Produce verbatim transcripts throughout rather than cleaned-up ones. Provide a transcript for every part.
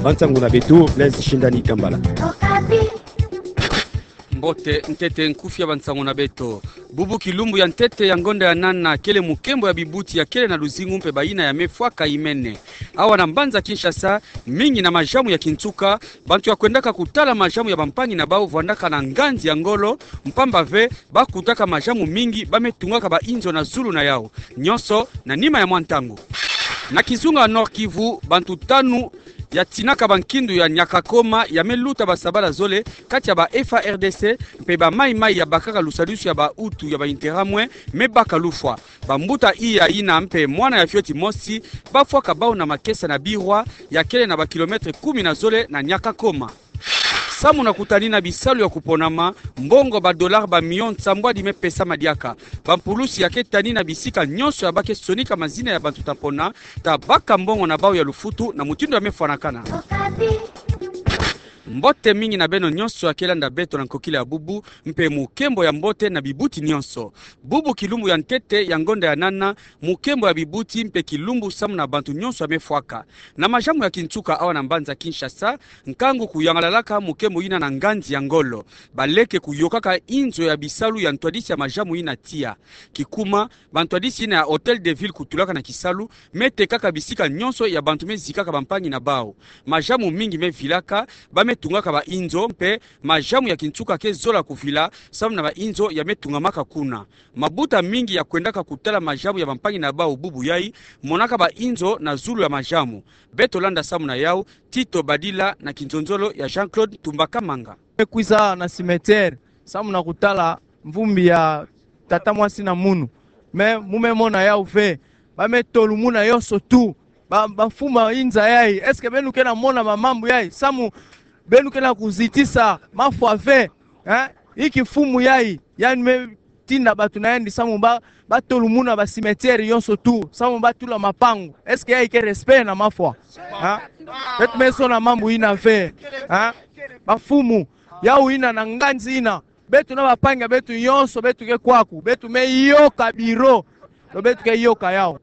Bansango na beto, Blaise Shindani Kambala. Mbote, ntete nkufi ya bansango na beto. Bubu kilumbu ya ntete ya ngonda ya nana kele mukembo ya bibuti ya kele na luzingu mpe bayina ya mefwaka imene. Awa na mbanza Kinshasa, mingi na majamu ya kinsuka, bantu ya kwendaka kutala majamu ya bampangi na bau vwandaka na nganzi ya ngolo, mpamba ve, bakutaka majamu mingi, ba metungaka bainzo na zulu na yau. Nyonso, na nima ya mwa ntangu. Na kizunga Nord-Kivu, bantu tanu ya tinaka bankindu ya Nyakakoma, ya meluta basabala zole, kati ya ba F A R D C, mpe ba Mai-Mai ya bakaka lusadisu ya ba Hutu ya ba Interahamwe, mebaka lufwa. Bambuta iya yina mpe mwana ya fioti mosi, bafwaka bau na makesa na Birwa, ya kele na ba kilomètre kumi na zole na Nyakakoma. Samu na kutanina bisalu ya kuponama, mbongo ba dollars ba millions nsambwadi mepesama diaka. Bampulusi ya ke tanina bisika nyonso ya ba ke sonika mazina ya bantu ta pona, ta baka mbongo na bau ya lufutu na mutindu ya mefwanakana. Mbote mingi na beno nyonso ya ke landa beto na nkokila ya bubu, mpe mukembo ya mbote na bibuti nyonso. Bubu kilumbu ya ntete ya ngonda ya nana, mukembo ya bibuti mpe kilumbu samu na bantu nyonso ya mefwaka. Na majamu ya kinsuka awa na mbanza Kinshasa, nkangu kuyangalalaka mukembo yina na nganzi ya ngolo. Baleke kuyokaka inzo ya bisalu ya ntwadisi ya majamu yina tiya. Kikuma, bantwadisi yina ya Hôtel de Ville kutulaka na kisalu, metekaka bisika nyonso ya bantu mezikaka bampangi na bau. Majamu mingi mevilaka, ba metungaka bainzo, mpe majamu ya kinsuka ke zola kuvila, samu na bainzo ya metungamaka kuna. Mabuta mingi ya kwendaka kutala majamu ya bampangi na bau bubu yai, monaka bainzo na zulu ya majamu. Beto landa samu na yau, Tito Badila na kinzonzolo ya Jean-Claude Tumba Kamanga. Mekwiza na cimetière, samu na kutala mvumbi ya tata mwasi na munu. Mais mu memona yau ve, ba metolumuna yonso tout. Ba, bamfumu ya inza yai, est-ce que beno ke na mona mamambu yai? Samu beno ke na kuzitisa mafwa ve, hein? Inki mfumu yai, yandi metinda bantu na yandi samu ba, batolumuna ba cimetière yonso tout, samu batula mapangu? Est-ce que yai ke respect na mafwa? Hein? Beto mesona mambu yina ve, hein? Bamfumu, yau yina na nganzi yina. Beto na bampangi ya beto yonso, beto ke kwaku, beto meyoka biro, to beto ke yoka yau.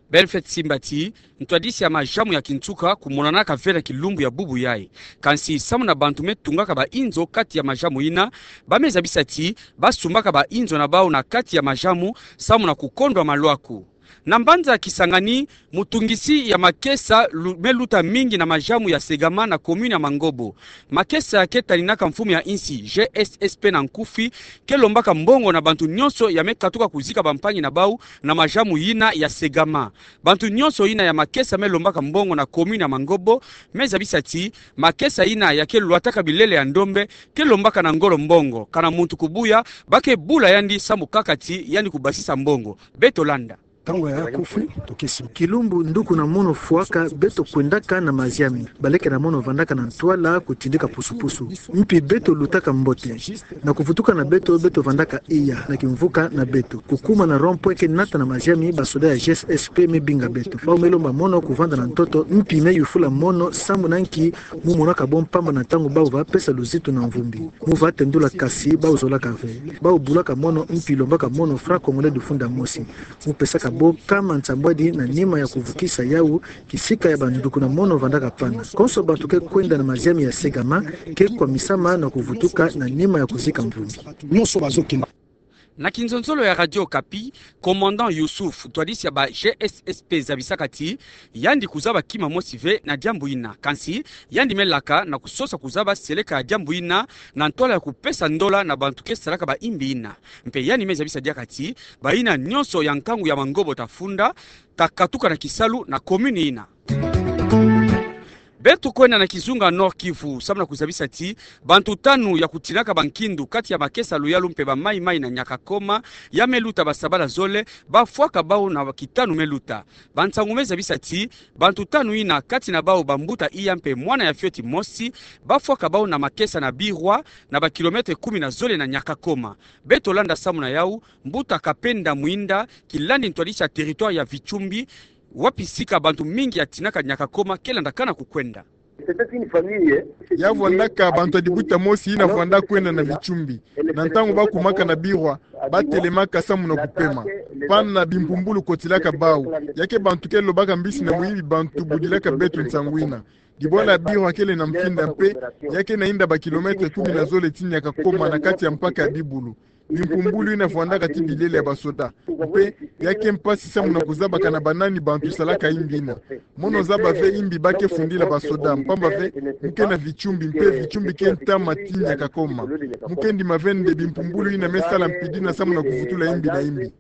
Belfet Simbati, ntwadisi ya majamu ya kinsuka kumonanaka ve na kilumbu ya bubu yai. Kansi samu na bantu metungaka bainzo kati ya majamu yina, ba mezabisa ti, basumbaka bainzo na bau na kati ya majamu, samu na kukondwa malwaku. Na mbanza Kisangani, mutungisi ya makesa lu-, meluta mingi na majamu ya Segama na commune ya Mangobo. Makesa ke taninaka mfumu ya insi, G S S P na nkufi, ke lombaka mbongo na bantu nyonso ya mekatuka kuzika bampangi na bau na majamu yina ya Segama. Bantu nyonso yina ya makesa melombaka mbongo na commune ya Mangobo, mezabisa ti, makesa yina ya ke lwataka bilele ya ndombe, ke lombaka na ngolo mbongo. Kana muntu kubuya, ba ke bula yandi samu kaka ti yandi kubasisa mbongo. Beto landa. Ntangu ya kufi, tokesi. Kilumbu nduku na mono fwaka, beto kwendaka na maziami. Baleke na mono vandaka na ntwala kutindika pusu-pusu. Mpi beto lutaka mbote. Na kuvutuka na beto, beto vandaka iya, na kimvuka na beto. Kukuma na rond-point ke nata na maziami, basoda ya G S S P mebinga beto. Bau melomba mono kuvanda na ntoto, mpi meyufula mono, samu na nki, mu monaka bo mpamba na ntangu bau va pesa luzitu na mvumbi. Mu va tendula kasi, bau zolaka ve. Bau bulaka mono, mpi lombaka mono franc congolais dufunda mosi. Mu pesaka bo nkama nsambwadi na nima ya kuvukisa yau, kisika ya banduku na mono vandaka pana. Konso bantu ke kwenda na maziami ya Segama, ke kwamisama na kuvutuka na nima ya kuzika mvumbi. Nyonso bazokima. Na kinzonzolo ya Radio Okapi, commandant Youssouf, ntwadisi ya ba G S S P zabisaka ti, yandi kuzaba kima mosi ve na diambu yina. Kansi, yandi melaka na kusosa kuzaba seleka ya diambu yina, na ntwala ya kupesa ndola na bantu ke salaka ba imbi yina. Mpe yandi mezabisa diaka ti, bayina nyonso ya nkangu ya Mangobo ta funda, ta katuka na kisalu na commune yina. Beto kwenda na kizunga Nord-Kivu, samu na kuzabisa ti, bantu tanu ya kutinaka bankindu kati ya makesa Luyalu mpe ba Mai-Mai na Nyakakoma, ya meluta basabala zole, bafwaka bau na kitanu meluta. Bansangu mezabisa ti, bantu tanu yina kati na bau bambuta iya mpe mwana ya fioti mosi, bafwaka bau na makesa na Birwa, na ba kilomètre kumi na zole na Nyakakoma. Beto landa samu na yau, mbuta Kapenda Mwinda, kilandi ntwadisi ya territoire ya Vichumbi, wapi sika bantu mingi ya tinaka Nyakakoma ke landakana kukwenda. Ya vwandaka bantu ya dibuta mosi yina vwanda kwenda na Vichumbi. Na ntangu ba kumaka na birwa, ba telemaka samu na kupema. Pana bimpumbulu kotilaka bau. Ya ke bantu ke lobaka mbisi na muyibi bantu budilaka beto nsangu yina. Dibwala ya birwa kele na mfinda mpe, ya ke na yinda ba kilomètre kumi na zole ti Niakakoma na kati ya mpaka ya Bibulu. Bimpumbulu yina vwandaka ti bilele ya basoda. Mpe ya ke mpasi samu na kuzabaka na banani bantu salaka yimbi yina. Mono zaba ve yimbi ba ke fundila basoda, mpamba ve mu ke na Vichumbi, mpe Vichumbi ke ntama ti Niakakoma. Mu ke ndima ve nde bimpumbulu yina me sala mpidi na samu na kuvutula yimbi na yimbi.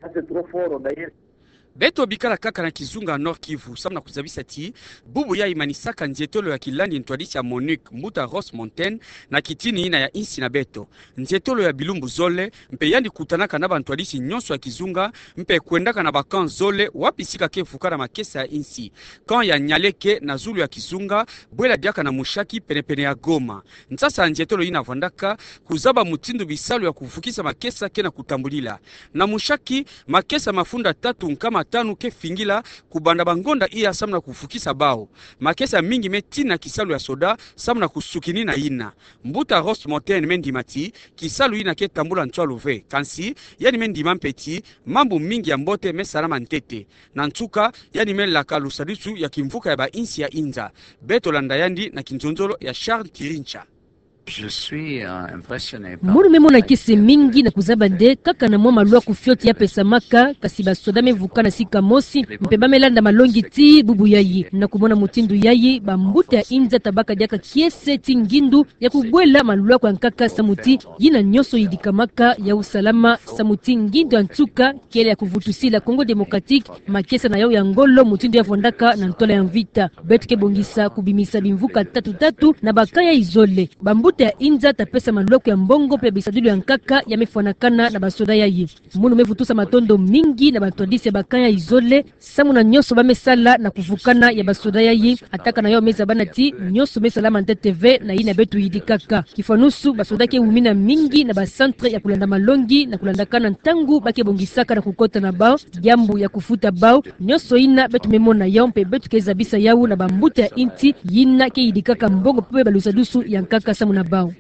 Beto bikala kaka na kizunga Nord-Kivu, samu na kuzabisa ti bubu yayi manisaka nzietolo ya kilandi ntwadisi ya MONUC, mbuta Ross Montaigne, na kitini yina ya insi na beto. Nzietolo ya bilumbu zole, mpe yandi kutanaka na bantwadisi nyonso ya kizunga, mpe kwendaka na ba camp zole wapi sika ke vukana makesa ya insi. Camp ya Nyaleke na zulu ya kizunga, bwela diaka na Mushaki, penepene ya Goma. Nsasa ya nzietolo yina vwandaka kuzaba mutindu bisalu ya kuvukisa makesa ke na kutambulila. Na Mushaki, makesa mafunda tatu nkama tanu ke fingila kubanda bangonda iya samu na kuvukisa bau. Makesa mingi me tina kisalu ya soda samu na kusukinina yina. Mbuta Ross Montaigne me ndima ti kisalu yina ke tambula ntwalu ve, kansi yandi me ndima mpe ti mambu mingi ya mbote me salama ntete. Na nsuka, yandi me laka lusadisu ya kimvuka ya bainsi ya inza. Beto landa yandi na kinzonzolo ya Charles Kirincha. Je suis, euh, impressionné par... Mono me mona kiese mingi na kuzaba nde kaka na mwa malwaku fioti ya pesamaka, kasi basoda me vukana sika mosi, mpe ba me landa malongi ti bubu yayi. Na kumona mutindu yayi, bambuta ya inza ta baka diaka kiese ti ngindu ya kubwela malwaku ya nkaka samu ti yina nyonso yidikamaka ya usalama, samu ti ngindu ya nsuka kele ya kuvutusila Congo Démocratique makesa na yau ya ngolo mutindu ya vwandaka na ntwala ya mvita. Beto ke bongisa kubimisa bimvuka tatu tatu na ba camp yayi zole. Bambuta ya inza ta pesa malwaku ya mbongo mpe bisadilu ya nkaka ya me fwanakana na basoda yayi. Mono me vutusa matondo mingi na bantwadisi ya ba camp yayi zole, samu na nyonso ba me sala na kuvukana ya basoda yayi, ataka na yau me zabana ti nyonso me salama ntete ve na yina beto yidikaka. Kifwanusu, basoda ke wumina mingi na ba centre ya kulanda malongi na kulandakana ntangu ba ke bongisaka na kukota na bau, diambu ya kufuta bau, nyonso yina beto me mona yau mpe beto ke zabisa yau na bambuta ya insi yina ke yidikaka mbongo mpe balusadusu ya nkaka samu na bau.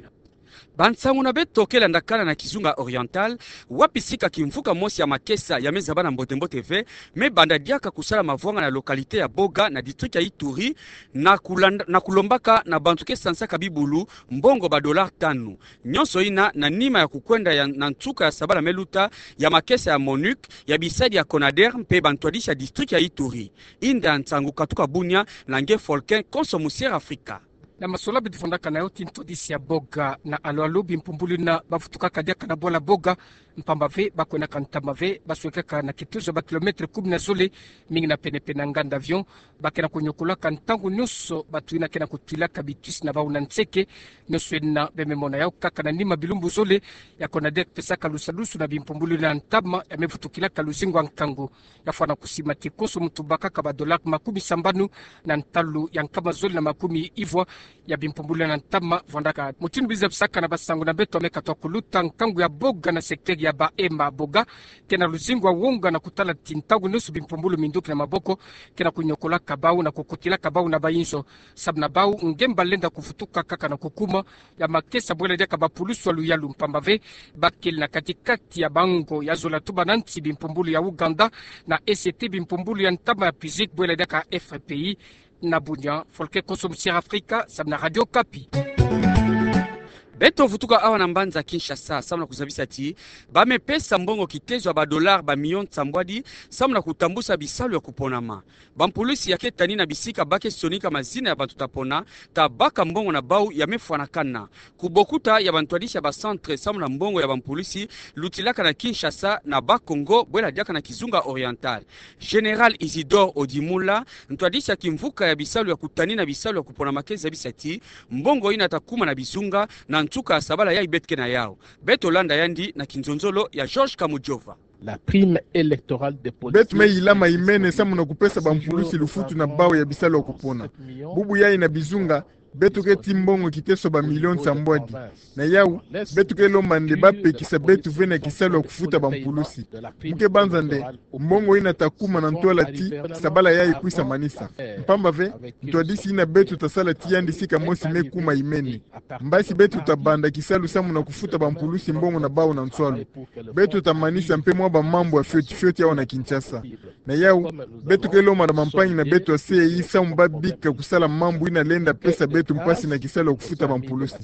Bansangu na beto ke landakana na kizunga Oriental, wapi sika kimvuka mosi ya makesa ya me zabana mbote-mbote ve, me banda diaka kusala mavwanga na localité ya Boga na district ya Ituri, na kulanda, na kulombaka na bantu ke sansaka bibulu mbongo ba dollars tanu. Nyonso yina na nima ya kukwenda ya, na nsuka ya sabala me luta, ya makesa ya MONUC, ya bisadi ya CONADER mpe bantwadisi ya district ya Ituri. Inda nsangu katuka Bunia, na nge Folkin Konso Musier Afrika. Na masolo beto vwandaka na yo ti ntwadisi ya Boga na alu-alu, bimpumbulu yina ba vutukaka diaka na bwala Boga, mpamba ve ba kwendaka ntama ve, ba swekaka na kitozo ya ba kilomètre kumi na zole, mingi na pene-pene na nganda avion. Ba ke na kunyokolaka ntangu nyonso bato yina ke na kutwilaka bitwisi na bau na nseke. Nyonso yina be me mona yau kaka na nima bilumbu zole ya CONADER pesaka lusadusu na bimpumbulu yina ntama ya me vutukilaka luzingu ya nkangu. Ya fwana kusima ti konso muntu bakaka ba dollars makumi sambanu na ntalu ya nkama zole na makumi ivwa ya bimpumbulu yina ntama vwandaka. Mutindu biza bisaka na basangu na beto, ya me katuka kuluta, nkangu ya Boga na secteur ya Bahema Boga ke na luzingu ya wonga na kutala ti ntangu nyonso bimpumbulu minduki na maboko ke na kunyokolaka bau na kukutilaka bau na bayinzo. Samu na bau, ngemba lenda kuvutuka kaka na kukuma ya makesa bwela diaka bapulusu ya luyalu, mpamba ve ba kele na kati-kati ya bango ya zola tubana nti bimpumbulu ya Ouganda na E C T, bimpumbulu ya ntama ya PAIGC bwela diaka F R P I. Na Bunia, Folkin Konso Musier Afrika, samu na Radio Okapi. Beto vutuka awa na mbanza Kinshasa, samu na kuzabisa ti ba me pesa mbongo kitezo ya ba dollars ba millions nsambwadi, samu na kutambusa bisalu ya kuponama. Bampulusi ya ke tani na bisika ba ke sonika mazina ya bantu ta pona, ta baka mbongo na bau ya me fwanakana. Kubokuta ya bantwadisi ya ba centre samu na mbongo ya bampulusi lutilaka na Kinshasa na Bas-Congo, bwela diaka na kizunga Oriental. Général Isidore Odimula, ntwadisi ya kimvuka ya bisalu ya kutani na bisalu ya kuponama, ke zabisa ti mbongo yina ta kuma na bizunga na nsuka ya sabala yayi beto ke na yau. Beto landa yandi na kinzonzolo ya Georges Kamujova. La prime électorale des politiques. Beto me yila ma imene samu na kupesa bampulusi lufutu na bau ya bisalu ya kupona. Bubu yayi na bizunga, Beto ke tii mbongo kiteso ba millions nsambwadi. Na yawu, beto ke lomba nde bapekisa beto ve na kisalu ya kufuta bampulusi. Mu ke banza nde, mbongo yina ta kuma na ntwala ti sabala yayi kwisa manisa. Mpamba ve, ntwadisi yina beto ta sala ti yandi sika mosi me kuma imene. Mbasi beto ta banda kisalu samu na kufuta bampulusi mbongo na bawu na nswalu. Beto ta manisa mpe mwa bamambu ya fioti fioti awa na Kinshasa. Na yawu, beto ke lomba na bampangi na beto ya C E I samu babika kusala mambu yina lenda pesa beto mpasi na kisalu ya kufuta bampulusi.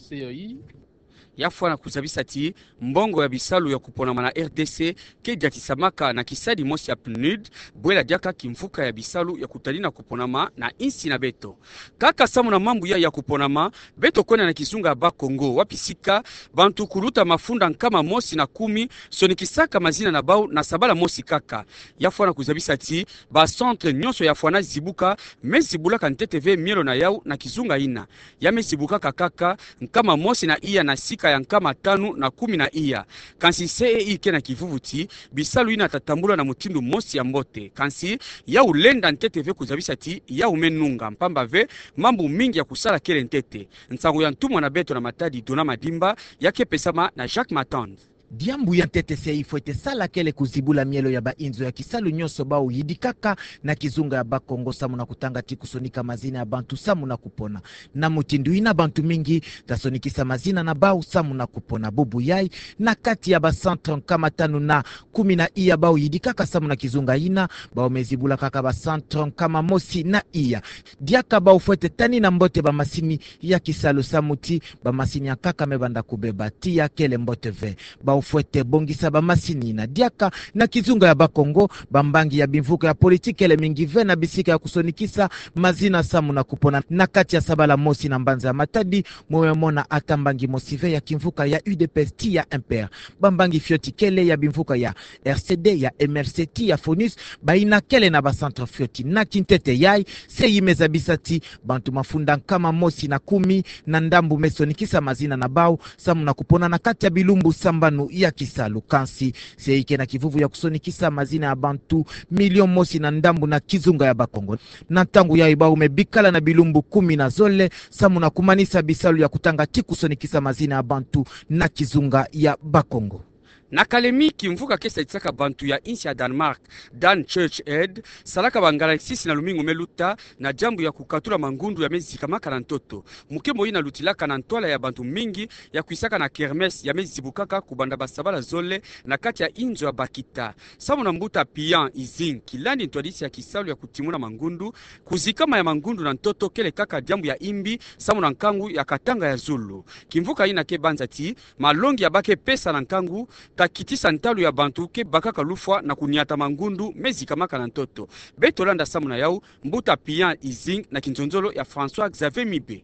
Ya fwana kuzabisa ti mbongo ya bisalu ya kuponama na R D C ke diatisamaka na kisadi mosi ya PNUD, bwela diaka kimvuka ya bisalu ya kutalina kuponama na insi na beto. Kaka samu na mambu ya, ya kuponama, beto kwenda na kizunga ya Bas-Congo, wapi sika bantu kuluta mafunda nkama mosi na kumi sonikisaka mazina na bawu na sabala mosi kaka. Ya fwana kuzabisa ti ba centre nyonso ya fwana zibuka me zibulaka ntete ve mielo na yawu na kizunga yina. Ya me zibukaka kaka nkama mosi na iya na sika ya nkama tanu na kumi na iya. Kansi C E I ke na kivuvu ti bisalu yina ta tambula na mutindu mosi ya mbote. Kansi yawu lenda ntete ve kuzabisa ti yawu me nunga, mpamba ve mambu mingi ya kusala kele ntete. Nsangu ya ntumwa na beto na Matadi, Dona Madimba, ya ke pesama na Jacques Matand. Diambu ya ntete C E I fwete sala kele kuzibula mielo ya bainzo ya kisalu nyonso bawu yidikaka na kizunga ya Bas-Congo samu na kutanga ti kusonika mazina ya bantu samu na kupona. Na mutindu yina bantu mingi ta sonikisa mazina na bawu samu na kupona. Bubu yayi, na kati ya ba centre nkama tanu na kumi na iya bawu yidikaka samu na kizunga yina, bawu me zibula kaka ba centre nkama mosi na iya. Diaka bawu fwete tanina mbote bamasini ya kisalu samu ti bamasini ya nkaka me banda kubeba. Tiya kele mbote ve. Bawu fwete bongisa bamasini yina. Diaka na kizunga ya Bas-Congo, bambangi ya bimvuka ya politiki kele mingi ve na bisika ya kusonikisa mazina samu na kupona. Na kati ya sabala mosi na mbanza ya Matadi, mwe mona ata mbangi mosi ve ya kimvuka ya U D P S ti ya M P R. Bambangi fioti kele ya bimvuka ya R C D, ya M R C ti ya FONUS, bayina kele na ba centre fioti. Na kintete yayi, C E I me zabisa ti bantu mafunda nkama mosi na kumi na ndambu me sonikisa mazina na bawu samu na kupona na kati ya bilumbu sambanu ya kisalu. Kansi C E I ke na kivuvu ya kusonikisa mazina ya bantu million mosi na ndambu na kizunga ya Bas-Congo. Na ntangu yayi bawu me bikala na bilumbu kumi na zole samu na kumanisa bisalu ya kutanga ti kusonikisa mazina ya bantu na kizunga ya Bas-Congo. Na Kalemi, kimvuka ke sadisaka bantu ya insi ya Danemark, Dan Church Aid, salaka bangalaksisi na lumingu me luta na diambu ya kukatula mangundu ya me zikamaka na ntoto. Mukembo yina lutilaka na ntwala ya bantu mingi ya kwisaka na kermesse ya me zibukaka kubanda basabala zole na kati ya inzo ya bakita. Samu na mbuta Pian Izing, kilandi ntwadisi ya kisalu ya kutimuna mangundu, kuzikama ya mangundu na ntoto kele kaka diambu ya imbi samu na nkangu ya katanga ya zulu. Kimvuka yina ke banza ti malongi ya ba ke pesa na nkangu ta kitisa ntalu ya bantu ke bakaka lufwa na kuniata mangundu me zikamaka na ntoto. Beto landa samu na yawu mbuta Pian Izing na kinzonzolo ya François Xavier Mibe.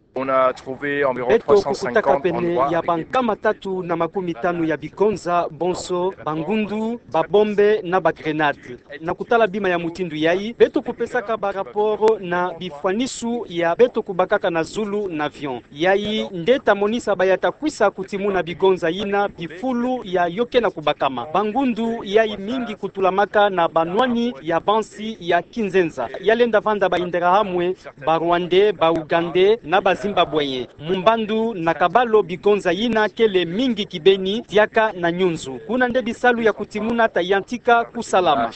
Beto kukutaka pene ya bankama tatu na makumi tanu ya bigonza, bonso bangundu, babombe na bagrenade. Na kutala bima ya mutindu yayi, beto kupesaka ba rapport na bifwanisu ya beto kubakaka na zulu na avion. Yayi nde ta monisa baya ta kwisa kutimuna bigonza yina bifulu ya yo ke na kubakama. Bangundu yayi mingi kutulamaka na banwani ya bansi ya kinzenza. Ya lenda vanda ba Interahamwe, ba Rwandais, ba Ougandais na ba Zimbabwéens. Mu mbandu na kabalo bigonza yina kele mingi kibeni, diaka na nyunzu. Kuna nde bisalu ya kutimuna ta yantika kusalama.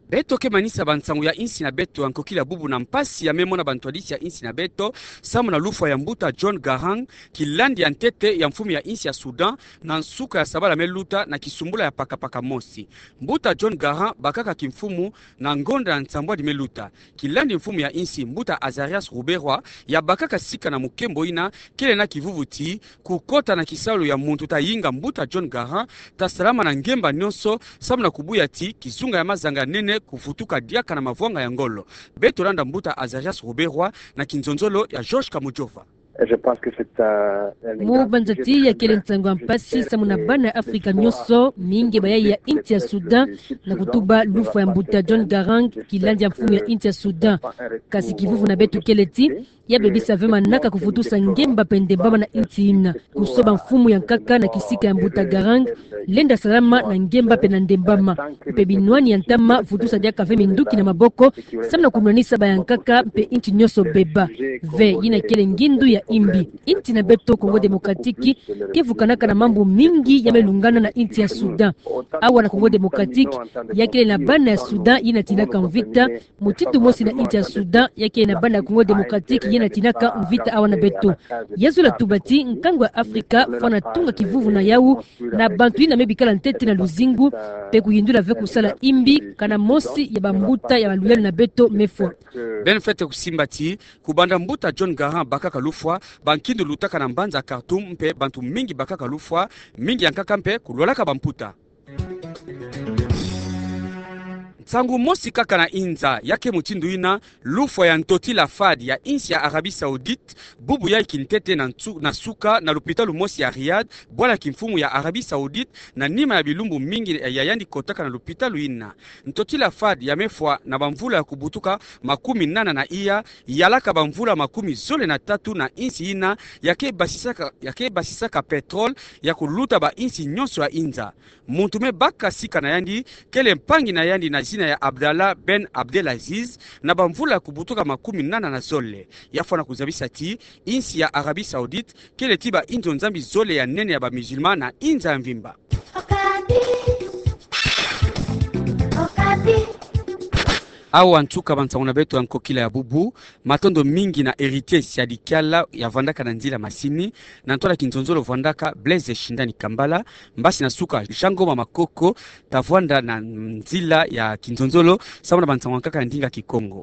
Beto ke manisa bansangu ya insi na beto ya nkokila bubu na mpasi ya me mona bantwadisi ya insi na beto samu na lufwa ya mbuta John Garang, kilandi ya ntete ya mfumu ya insi ya Soudan, na nsuka ya sabala me luta na kisumbula ya pakapaka mosi. Mbuta John Garang bakaka kimfumu na ngonda ya nsambwadi me luta. Kilandi mfumu ya insi, mbuta Azarias Ruberwa, ya bakaka sika na mukembo yina kele na kivuvu ti kukota na kisalu ya muntu ta yinga mbuta John Garang ta salama na ngemba nyonso, samu na kubuya ti kizunga ya mazanga nene kuvutuka diaka na mavwanga ya ngolo. Beto landa mbuta Azarias Ruberwa na kinzonzolo ya George Kamujova. Mu banza ti ya kele nsangu ya mpasi samu na bana Afrika nyonso, mingi bayayi ya insi ya Soudan, na kutuba lufwa ya mbuta John Garang, kilandi ya mfumu ya insi ya Soudan. Kasi kivuvu na beto kele ti Ya bebisa ve manaka kuvutusa ngemba mpe ndembama na inti ina. Kusoba mfumu ya nkaka na kisika ya mbuta Garang, lenda salama na ngemba mpe na ndembama. Mpe binwani ya ntama vutusa diaka ve minduki na maboko, samu na kunwanisa bayankaka mpe inti nyonso beba. Ve, yina kele ngindu ya imbi. Inti na beto Congo Démocratique ke vukanaka na mambu mingi ya me lungana na inti ya Soudan. Awa na Congo Démocratique, ya kele na bana ya Soudan yina tinaka mvita, mutindu mosi na inti ya Soudan, ya kele na bana ya Congo Démocratique yina tinaka mvita awa na beto. Ya zola tuba ti nkangu ya Afrika fwana tunga kivuvu na yawu, na bantu yina me bikala ntete na luzingu, mpe kuyindula ve kusala imbi, kana mosi ya bambuta ya baluyalu na beto me fwa. Beno fwete kusimba ti, kubanda mbuta John Garang bakaka lufwa, bankindu lutaka na mbanza Khartoum, mpe bantu mingi bakaka lufwa, mingi ya nkaka mpe kulwalaka bamputa. Nsangu mosi kaka na inza, ya ke mutindu ina, lufwa ya ntotila FAD ya insi ya Arabie Saoudite, bubu yayi kintete na nsu-, na suka na lupitalu mosi ya Riyadh, bwala kimfumu ya Arabie Saoudite, na nima ya bilumbu mingi ya yandi kotaka na lupitalu ina. Ntotila FAD ya me fwa na bamvula ya kubutuka makumi nana na iya, yalaka bamvula makumi zole na tatu na insi ina, ya ke basisaka, ya ke basisaka pétrole, ya kuluta ba insi nyonso ya inza. Muntu me baka sika na yandi, kele mpangi na yandi na zina ya Abdallah Ben Abdelaziz, na bamvula ya kubutuka makumi nana na zole. Ya fwana kuzabisa ti, insi ya Arabie Saoudite, kele ti ba inzo nzambi zole ya nene ya ba musulman na inza ya mvimba. Awa nsuka bansangu na beto ya nkokila ya bubu, matondo mingi na Héritier Siadi Kiala ya vandaka na nzila masini, na ntwala kinzonzolo vandaka Blaise Shindani Kambala, mbasi na suka Jean Ngoma Makoko, ta vwanda na nzila ya kinzonzolo, samu na bansangu ya nkaka ya ndinga Kikongo.